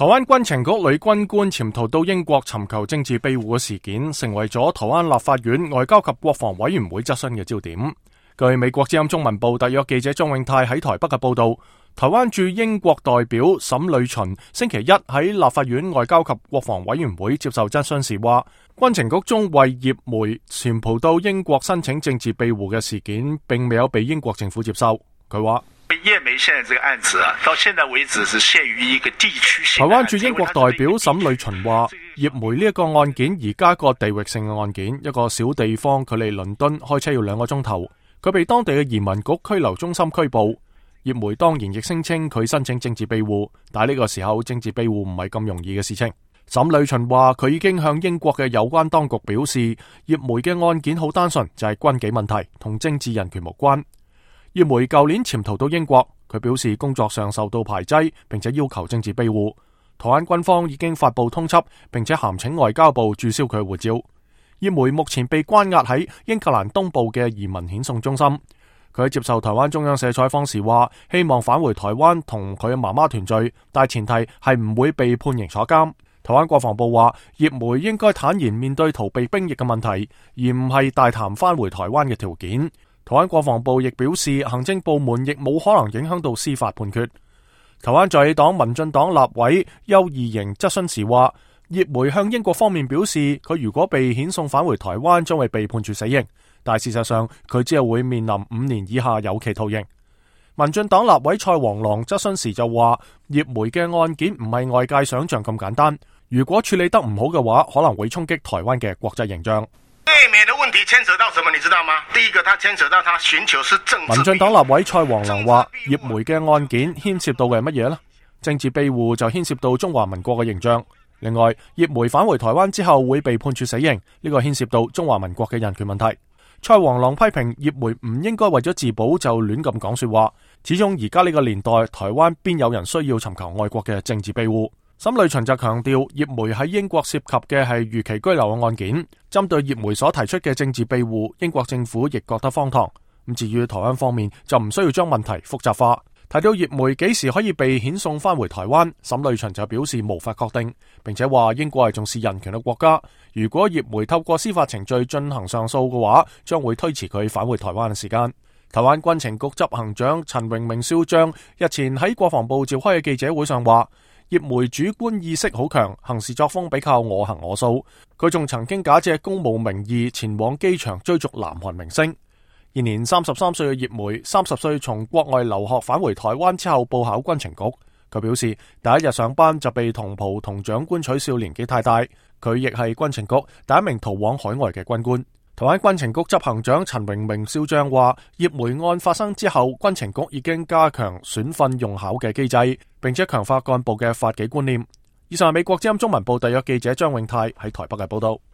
台灣軍情局女軍官潛逃到英國尋求政治庇護嘅事件，成為咗台灣立法院外交及國防委員會質詢嘅焦點。據美國之音中文部特約記者張永泰喺台北嘅報道，台灣駐英國代表沈呂巡星期一喺立法院外交及國防委員會接受質詢時話，軍情局中為葉梅潛逃到英國申請政治庇護嘅事件，並未有被英國政府接受。佢話，葉梅現在這個案子到現在為止是限於一個地區性。台灣駐英國代表沈呂巡話，葉梅呢一個案件而家個地域性嘅案件，一個小地方距離倫敦開車要2個鐘頭，佢被當地嘅移民局拘留中心拘捕。葉梅當然亦聲稱佢申請政治庇護，但係呢個時候政治庇護唔係咁容易嘅事情。沈呂巡話佢已經向英國嘅有關當局表示，葉梅嘅案件好單純，就係軍紀問題，同政治人權無關。葉梅舊年潛逃到英國，佢表示工作上受到排擠，並且要求政治庇護。台灣軍方已經發布通緝，並且函請外交部註銷佢嘅護照。葉梅目前被關押喺英格蘭東部嘅移民遣送中心。佢喺接受台灣中央社採訪時話，希望返回台灣同佢嘅媽媽團聚，但前提係唔會被判刑坐監。台灣國防部話，葉梅應該坦然面對逃避兵役嘅問題，而唔係大談返回台灣嘅條件。台灣國防部亦表示，行政部門亦冇可能影響到司法判決。台灣在野黨民進黨立委邱義瑩質詢時話，葉梅向英國方面表示，佢如果被遣送返回台灣，將會被判處死刑。但事實上，佢只係會面臨5年以下有期徒刑。民進黨立委蔡黃郎質詢時就話，葉梅嘅案件唔係外界想象咁簡單，如果處理得唔好嘅話，可能會衝擊台灣嘅國際形象。對美的問題牽扯到什麼，你知道嗎？第一個，他牽扯到他尋求是政治。民進黨立委蔡黃郎話，葉梅嘅案件牽涉到嘅係乜嘢呢？政治庇護就牽涉到中華民國嘅形象。另外，葉梅返回台灣之後會被判處死刑，呢個牽涉到中華民國嘅人權問題。蔡黃郎批評葉梅唔應該為咗自保就亂咁講說話，始終而家呢個年代，台灣邊有人需要尋求外國嘅政治庇護？沈呂巡就強調，葉梅喺英國涉及嘅係逾期居留嘅案件，針對葉梅所提出嘅政治庇護，英國政府亦覺得荒唐。咁至於台灣方面就唔需要將問題複雜化。提到葉梅幾時可以被遣送返回台灣，沈呂巡就表示無法確定，並且話英國係重視人權嘅國家，如果葉梅透過司法程序進行上訴嘅話，將會推遲佢返回台灣嘅時間。台灣軍情局執行長陳榮明少將日前喺國防部召開嘅記者會上話，葉梅主觀意識好強，行事作風比較我行我素。佢仲曾經假借公務名義前往機場追逐南韓明星。現年33歲嘅葉梅，30歲從國外留學返回台灣之後報考軍情局。佢表示，第一日上班就被同袍同長官取笑年紀太大。佢亦係軍情局第一名逃往海外嘅軍官。台灣軍情局執行長陳榮明少將話，葉梅案發生之後，軍情局已經加強選訓用考嘅機制，並且強化幹部嘅法紀觀念。以上係美國之音中文部特約記者張永泰喺台北嘅報道。